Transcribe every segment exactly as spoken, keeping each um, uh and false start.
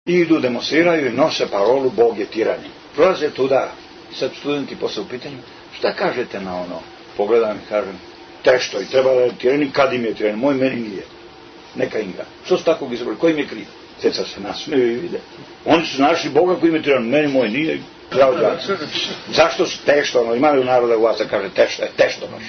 I idu, demonstriraju i nose parolu Bog je tiranin. Prolaze tuda, sad studenti posle u pitanju, šta kažete na ono? Pogledam i kažem, tešto, i treba da je tiranin, kad im je tiranin, moj meni nije. Neka im ga. Što su takvog izabrali? Ko im je kriv? Ceca se nasmeju i vide. Oni su našli Boga koji im je tiranin, meni moj nije. Zašto su tešto, ono, imali u naroda u vas da kaže tešto, je tešto baš.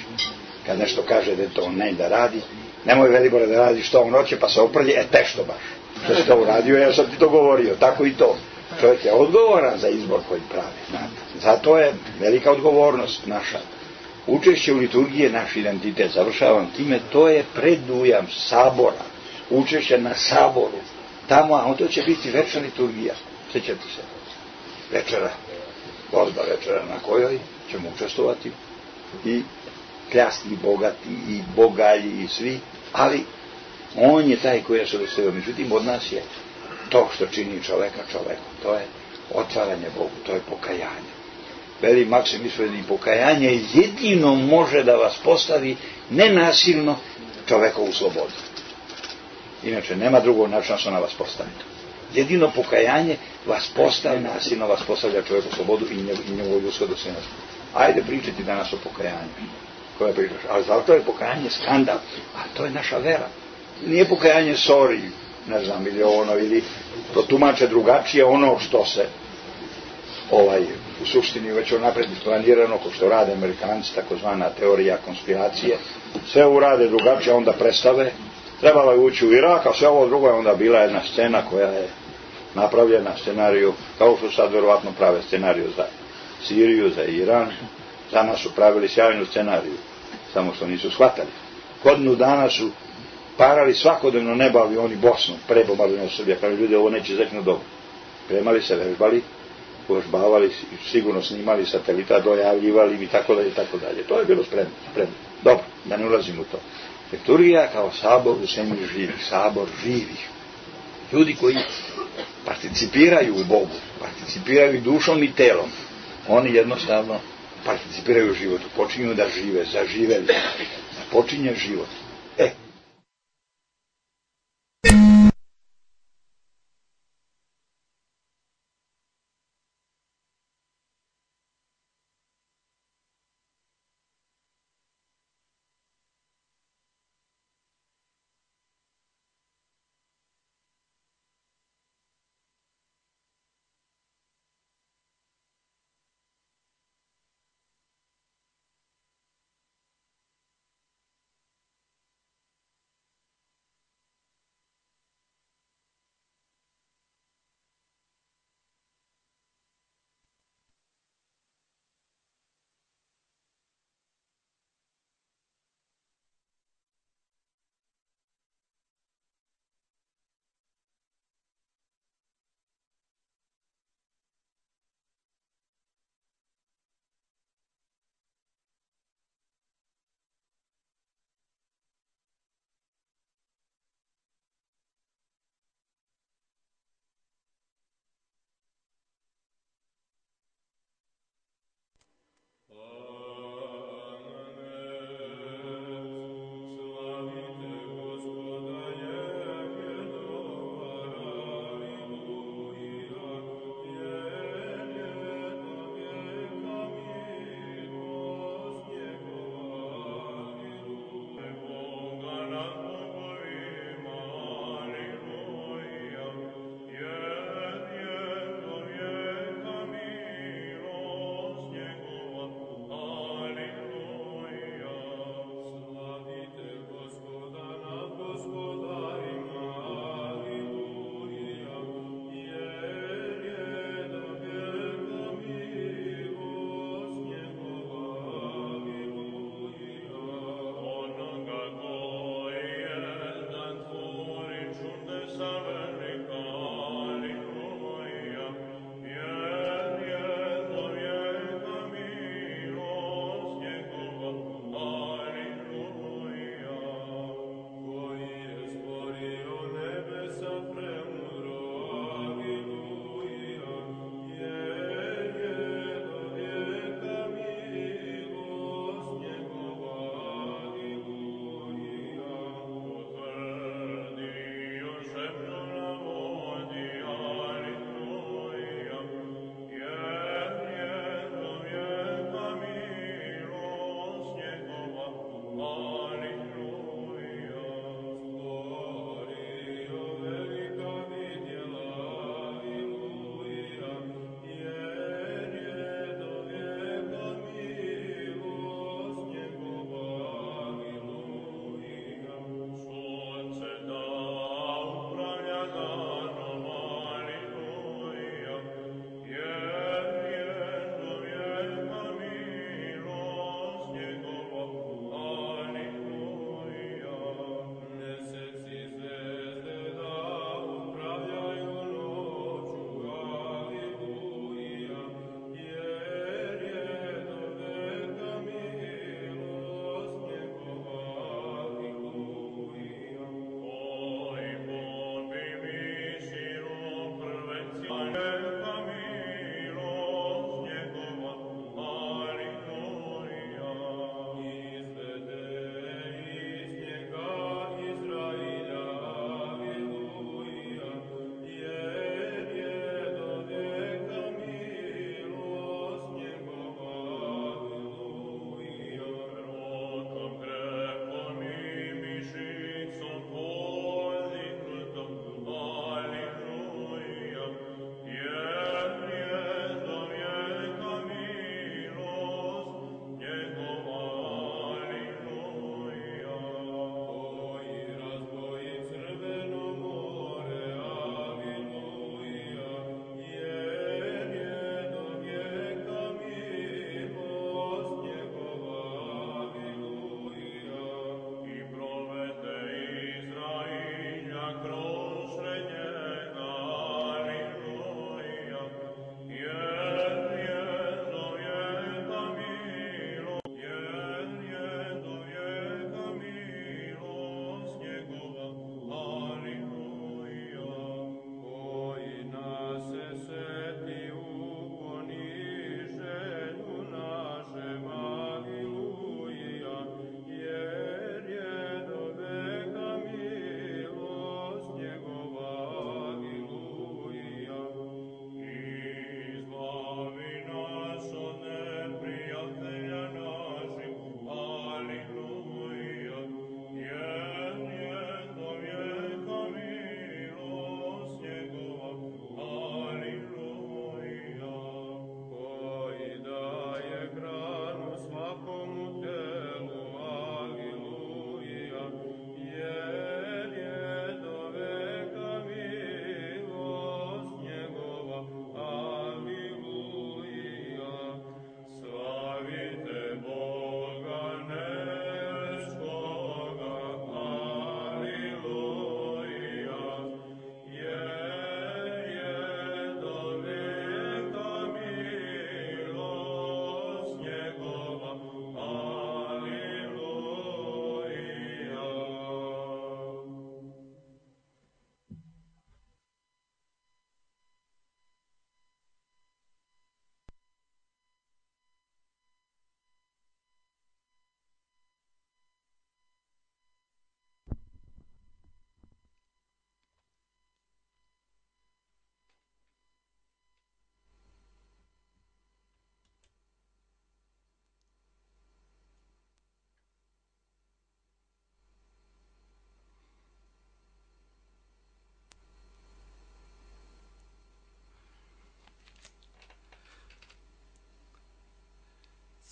Kad nešto kaže da je to ne da radi, nemoj Velibore da radi što on hoće, pa se oprlje, e tešto baš. Što si to uradio, ja sam ti to govorio, tako i to. Čovjek je odgovoran za izbor koji pravi, znate. Zato je velika odgovornost naša. Učešće u liturgiji je naš identitet, završavam time, to je predujam sabora, učešće na saboru. Tamo, a to će biti večna liturgija, sjećate se, večera, gozba večera na kojoj ćemo učestovati i kljasti i bogati i bogalji i svi, ali on je taj koji je se dostavio. Međutim, od nas je to što čini čoveka čovekom, to je otvaranje Bogu, to je pokajanje. Veli Maksim Ispovjednik, pokajanje jedino može da vas postavi nenasilno čovekovu slobodu. Inače, nema drugog načina što na vas postavi. Jedino pokajanje vas postavi nasilno, vas postavlja čovekovu slobodu i njegovu ljudsko dostojanstvo. Ajde pričati danas o pokajanju. Koja pričaš? Ali zato je pokajanje skandal, a to je naša vera. Nije pokajanje sorry, ne znam, ili ono, ili to tumače drugačije ono što se ovaj, u suštini već onapred isplanirano, ko što rade Amerikanci, takozvana teorija konspiracije, sve urade drugačije, onda predstave, trebalo je ući u Irak, a sve ovo drugo je onda bila jedna scena koja je napravljena scenariju, kao što sad verovatno prave scenariju za Siriju, za Iran, za nas su pravili sjajnu scenariju, samo što nisu shvatali. Godinu dana su parali svakodnevno neba avioni Bosnu, prebombardovanje Srbija, kao ljudi, ovo neće zeknu dobro. Premali se, vežbali, uvežbavali, sigurno snimali satelita, dojavljivali i tako dalje, tako dalje. To je bilo spremno, spremno. Dobro, da ne ulazim u to. Liturgija kao sabor u zemlji živih, sabor živih. Ljudi koji participiraju u Bogu, participiraju i dušom i telom. Oni jednostavno participiraju u životu, počinju da žive, zaživeli, da počinje život. E,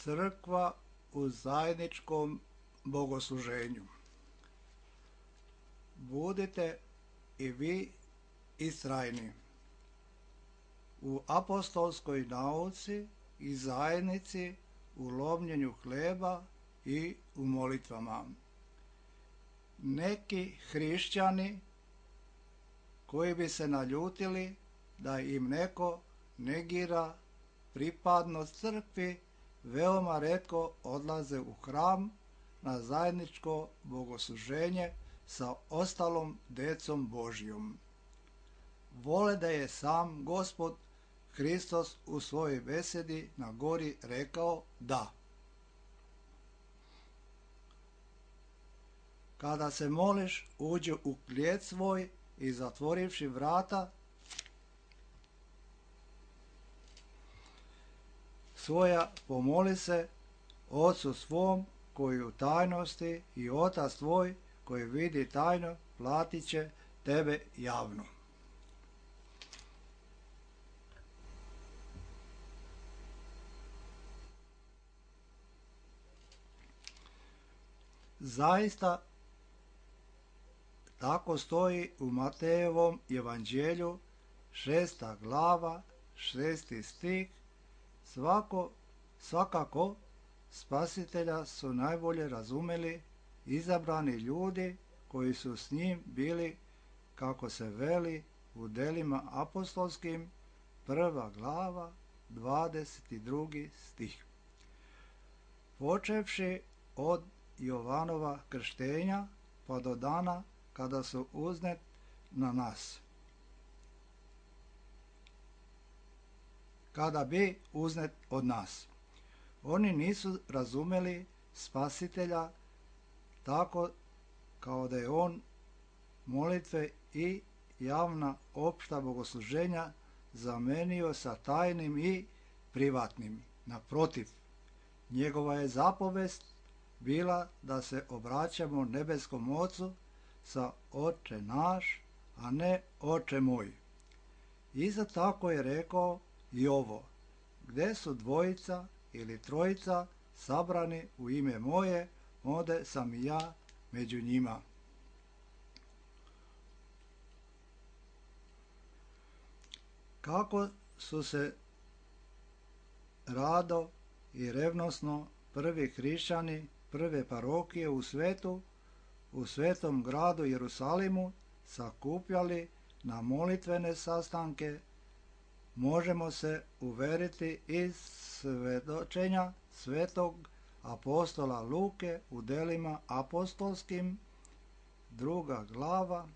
Crkva u zajedničkom bogosluženju. Budite i vi istrajni u apostolskoj nauci i zajednici, u lomljenju hleba i u molitvama. Neki hrišćani koji bi se naljutili da im neko negira pripadnost crkvi, veoma retko odlaze u hram na zajedničko bogosluženje sa ostalom decom Božjom. Vole da je sam Gospod Hristos u svojoj besedi na gori rekao da. Kada se moliš, uđi u klijet svoj i zatvorivši vrata svoja, pomoli se Ocu svom koji u tajnosti, i Otac tvoj koji vidi tajno platit će tebe javno. Zaista tako stoji u Matejevom evanđelju, šesta glava, šesti stih. Svako, svakako Spasitelja su najbolje razumeli izabrani ljudi koji su s njim bili, kako se veli u delima apostolskim, prva glava, dvadeset drugi stih. Počevši od Jovanova krštenja pa do dana kada su uznet na nas. Kada bi uznet od nas. Oni nisu razumeli Spasitelja tako kao da je on molitve i javna opšta bogosluženja zamenio sa tajnim i privatnim. Naprotiv, njegova je zapovest bila da se obraćamo nebeskom Ocu sa Oče naš, a ne Oče moj. Isto tako je rekao i ovo: gde su dvojica ili trojica sabrani u ime moje, onda sam i ja među njima. Kako su se rado i revnosno prvi hrišćani prve parohije u svetu, u svetom gradu Jerusalimu, sakupljali na molitvene sastanke, možemo se uveriti iz svedočenja svetog apostola Luke u delima apostolskim, druga glava,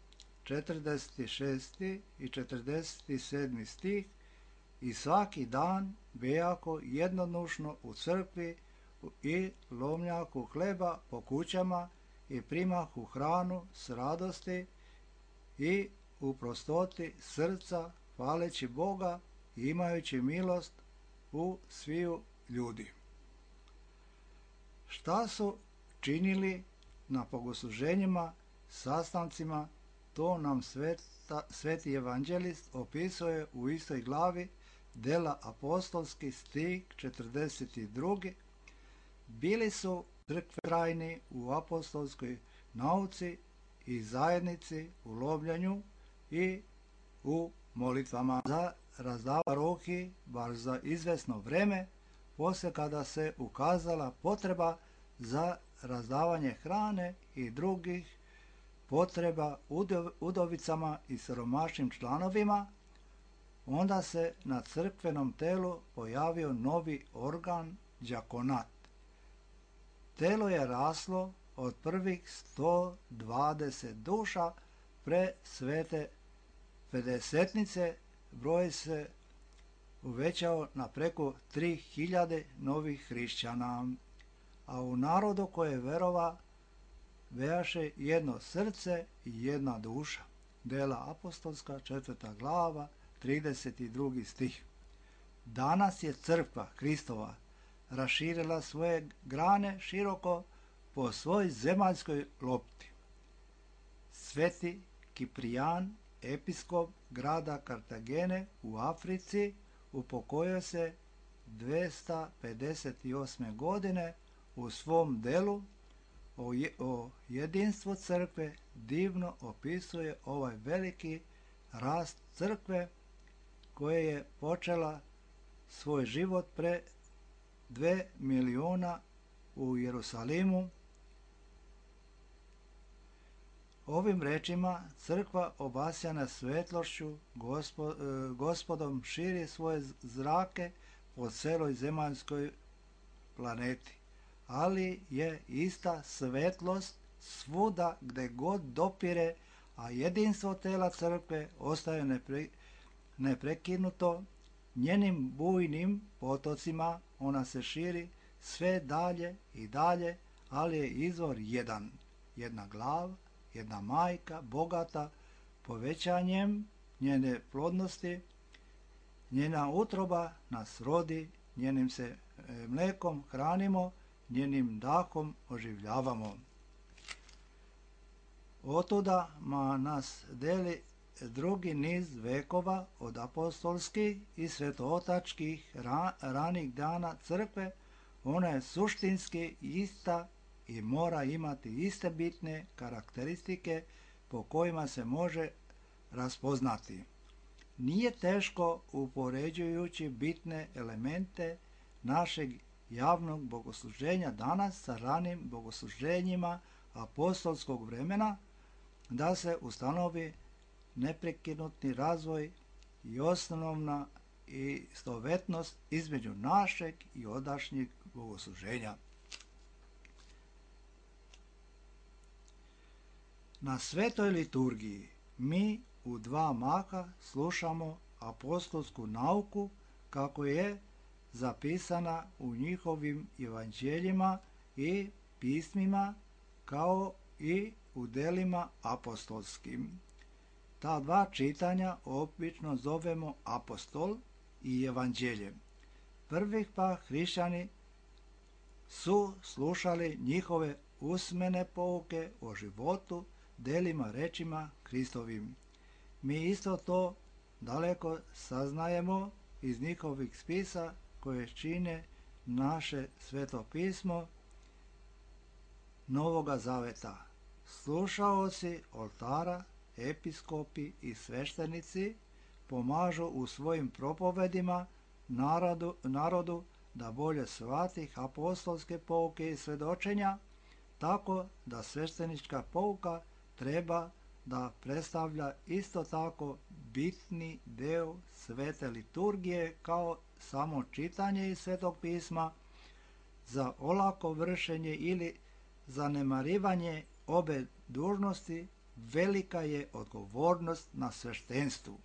četrdeset šesti i četrdeset sedmi stih. I svaki dan bejako jednodušno u crkvi i lomljaku hleba po kućama i primahu hranu s radosti i u prostoti srca, hvaleći Boga i imajući milost u sviju ljudi. Šta su činili na bogosluženjima, sastancima, to nam sveta, sveti evanđelist opisuje u istoj glavi dela apostolski, stih četrdeset drugi. Bili su crkveni u apostolskoj nauci i zajednici, u lomljenju i u molitvama za razdavanje parohiji, bar za izvesno vreme, posle kada se ukazala potreba za razdavanje hrane i drugih potreba udovicama i siromašnim članovima, onda se na crkvenom telu pojavio novi organ, đakonat. Telo je raslo od prvih sto dvadeset duša pre svete pedesetnice, broj se uvećao na preko tri hiljade novih hrišćana, a u narodu koje verova bejaše jedno srce i jedna duša. Dela apostolska, četvrta glava, trideset drugi stih. Danas je crkva Hristova raširila svoje grane široko po svoj zemaljskoj lopti. Sveti Kiprijan, episkop grada Kartagene u Africi, upokojio se dvesta pedeset osme. godine u svom delu o, je, o jedinstvu crkve divno opisuje ovaj veliki rast crkve koja je počela svoj život pre dve miliona u Jerusalimu. Ovim rečima crkva obasjana svetlošću gospod, gospodom širi svoje zrake po celoj zemaljskoj planeti, ali je ista svetlost svuda gde god dopire, a jedinstvo tela crkve ostaje nepre, neprekinuto. Njenim bujnim potocima ona se širi sve dalje i dalje, ali je izvor jedan, jedna glava, jedna majka, bogata povećanjem njene plodnosti. Njena utroba nas rodi, njenim se mlekom hranimo, njenim dahom oživljavamo. Otuda ma nas deli drugi niz vekova od apostolskih i svetootačkih ra, ranih dana crkve. Ona je suštinski ista i mora imati iste bitne karakteristike po kojima se može raspoznati. Nije teško, upoređujući bitne elemente našeg javnog bogosluženja danas sa ranim bogosluženjima apostolskog vremena, da se ustanovi neprekinutni razvoj i osnovna istovetnost između našeg i odašnjeg bogosluženja. Na svetoj liturgiji mi u dva maha slušamo apostolsku nauku kako je zapisana u njihovim evanđeljima i pismima, kao i u delima apostolskim. Ta dva čitanja obično zovemo apostol i evanđelje. Prvih pa hrišćani su slušali njihove usmene pouke o životu, delima, rečima Hristovim. Mi isto to daleko saznajemo iz njihovih spisa koje čine naše sveto pismo Novoga Zaveta. Slušaoci oltara, episkopi i sveštenici pomažu u svojim propovedima narodu, narodu da bolje shvati apostolske pouke i svedočenja, tako da sveštenička pouka treba da predstavlja isto tako bitni deo svete liturgije kao samo čitanje iz svetog pisma. Za olako vršenje ili zanemarivanje obe dužnosti velika je odgovornost na sveštenstvu,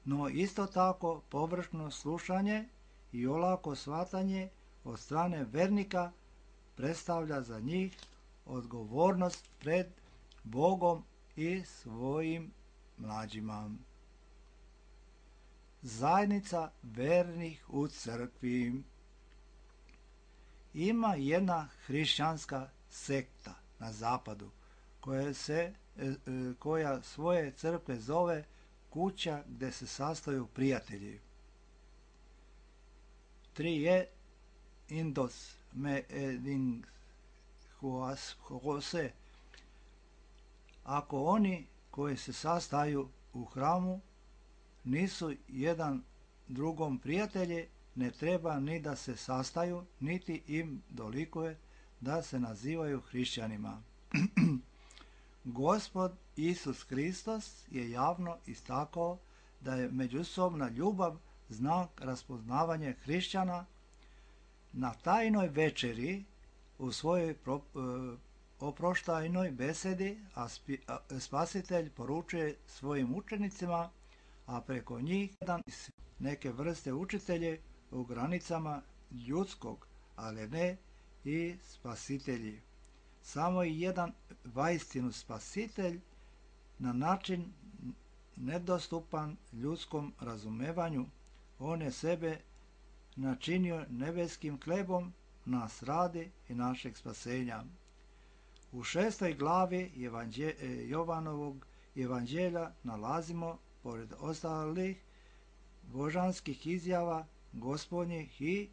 no isto tako površno slušanje i olako shvatanje od strane vernika predstavlja za njih odgovornost pred Bogom i svojim mlađima. Zajednica vernih u crkvi. Ima jedna hrišćanska sekta na zapadu koja, se, koja svoje crkve zove kuća gde se sastaju prijatelji. Trije indos me eding hose. Ako oni koji se sastaju u hramu nisu jedan drugom prijatelji, ne treba ni da se sastaju, niti im dolikuje da se nazivaju hrišćanima. Gospod Isus Hristos je javno istakao da je međusobna ljubav znak raspoznavanja hrišćana. Na tajnoj večeri u svojoj pro, oproštajnoj besedi a spi, a, Spasitelj poručuje svojim učenicima, a preko njih jedan neke vrste učitelje u granicama ljudskog, ali ne i spasitelji. Samo i jedan vaistinu spasitelj na način nedostupan ljudskom razumevanju. On je sebe načinio nebeskim hlebom, nas radi i našeg spasenja. U šestoj glavi evanđe, Jovanovog evanđelja nalazimo, pored ostalih božanskih izjava, Gospodnjih i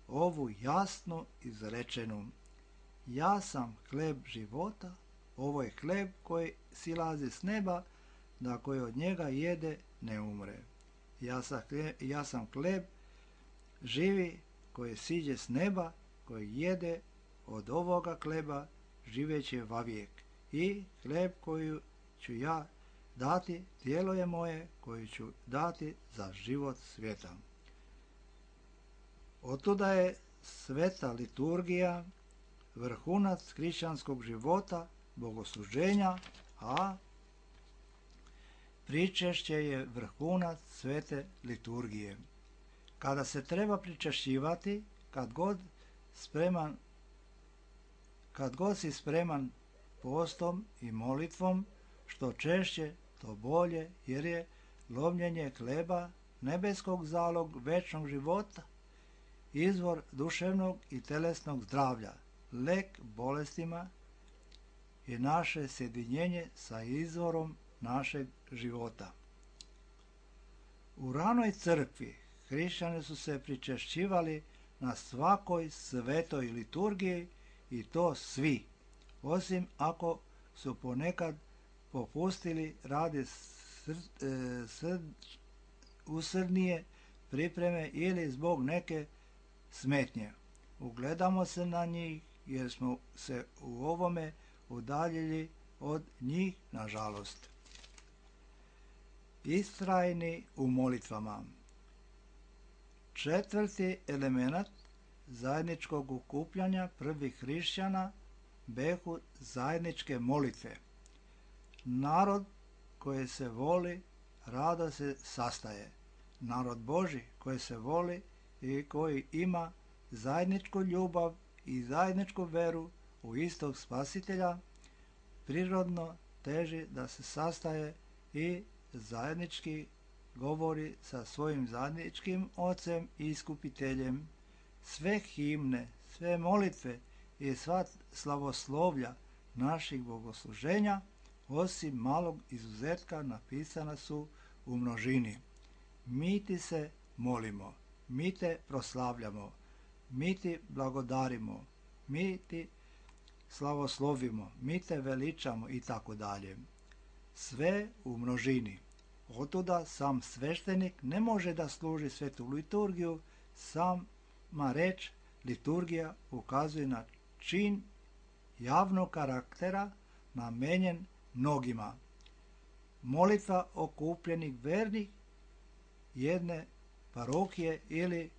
ovu jasno izrečenu: ja sam hleb života, ovo je hleb koji silazi s neba, da koji od njega jede ne umre. Ja sam hleb, ja sam hleb živi koji siđe s neba, koji jede od ovoga hleba živeće vavijek. I hleb koji ću ja dati, tijelo je moje koji ću dati za život svijeta. Otuda je sveta liturgija vrhunac hrišćanskog života, bogosluženja, a pričešće je vrhunac svete liturgije. Kada se treba pričešćivati, kad god spreman, kad god si spreman postom i molitvom, što češće, to bolje, jer je lomljenje hleba nebeskog zalog večnog života, izvor duševnog i telesnog zdravlja, lek bolestima i naše sjedinjenje sa izvorom našeg života. U ranoj crkvi hrišćani su se pričešćivali na svakoj svetoj liturgiji, i to svi, osim ako su ponekad popustili radi sr, e, sr, usrdnije pripreme ili zbog neke smetnje. Ugledamo se na njih jer smo se u ovome udaljili od njih, nažalost. Istrajni u molitvama. Četvrti element zajedničkog okupljanja prvih hrišćana behu zajedničke molitve. Narod koji se voli rado se sastaje. Narod Božji koji se voli i koji ima zajedničku ljubav i zajedničku veru u istog Spasitelja, prirodno teži da se sastaje i zajednički govori sa svojim zajedničkim Ocem i Iskupiteljem. Sve himne, sve molitve i sva slavoslovlja naših bogosluženja, osim malog izuzetka, napisana su u množini. Mi ti se molimo, mi te proslavljamo, mi ti blagodarimo, mi ti slavoslovimo, mi te veličamo i tako dalje. Sve u množini. Otuda sam sveštenik ne može da služi svetu liturgiju, sama reč liturgija ukazuje na čin javnog karaktera namenjen mnogima. Molitva okupljenih vernih jedne parohije ili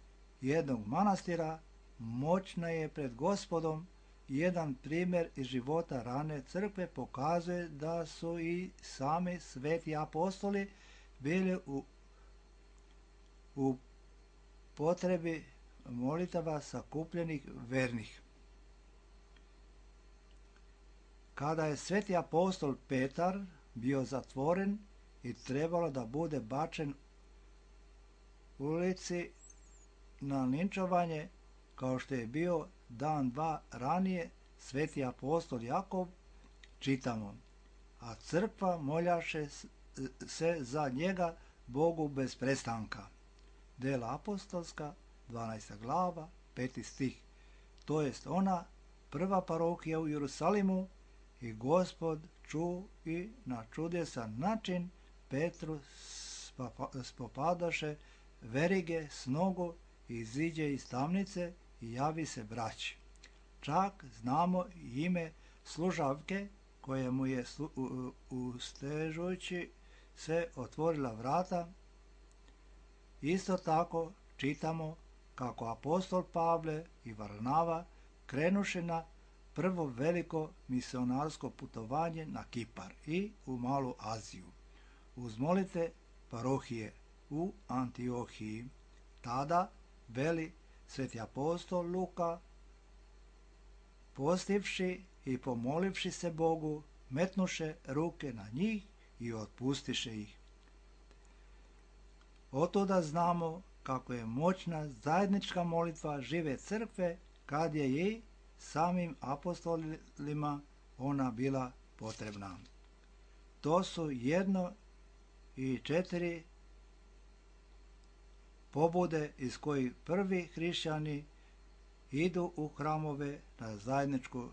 jednog manastira moćna je pred Gospodom. Jedan primjer iz života rane crkve pokazuje da su i sami sveti apostoli bili u, u potrebi molitava sakupljenih vernih. Kada je sveti apostol Petar bio zatvoren i trebalo da bude bačen u ulici na linčovanje, kao što je bio dan dva ranije sveti apostol Jakov, čitamo: a crkva moljaše se za njega Bogu bez prestanka. Dela apostolska, dvanaesta glava, peti stih. To jest ona prva parohija u Jerusalimu, i Gospod ču i na čudesan način Petru spopadaše verige s nogu, iziđe iz tamnice i javi se braći. Čak znamo ime služavke koje mu je ustežujući se otvorila vrata. Isto tako čitamo kako apostol Pavle i Varnava krenuše na prvo veliko misionarsko putovanje na Kipar i u Malu Aziju. Uz molitve parohije u Antiohiji, tada, veli sveti apostol Luka, postivši i pomolivši se Bogu, metnuše ruke na njih i otpustiše ih. Otuda znamo kako je moćna zajednička molitva žive crkve, kad je i samim apostolima ona bila potrebna. To su jedno i četiri pobude iz kojih prvi hrišćani idu u hramove na zajedničku